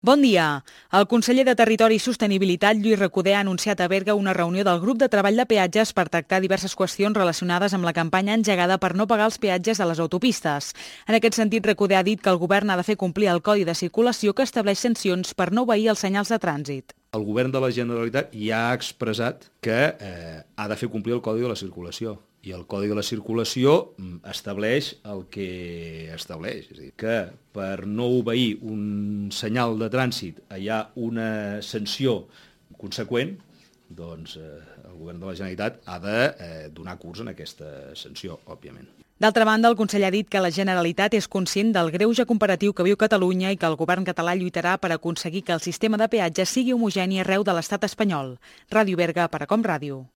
Bon dia. El conseller de Territori i Sostenibilitat, Lluís Recoder, ha anunciat a Berga una reunió del grup de treball de peatges per tractar diverses qüestions relacionades amb la campanya engegada per no pagar els peatges de les autopistes. En aquest sentit, Recoder ha dit que el govern ha de fer complir el Codi de Circulació que estableix sancions per no obeir els senyals de trànsit. El govern de la Generalitat ja ha expressat que ha de fer complir el Codi de la Circulació. I el Codi de la Circulació estableix el que estableix. És a dir, que per no obeir un senyal de trànsit hi ha una sanció conseqüent, doncs el govern de la Generalitat ha de donar curs en aquesta sanció, òbviament. D'altra banda, el conseller ha dit que la Generalitat és conscient del greuge comparatiu que viu Catalunya i que el govern català lluitarà per aconseguir que el sistema de peatges sigui homogeni arreu de l'estat espanyol. Ràdio Berga, per a Com Ràdio.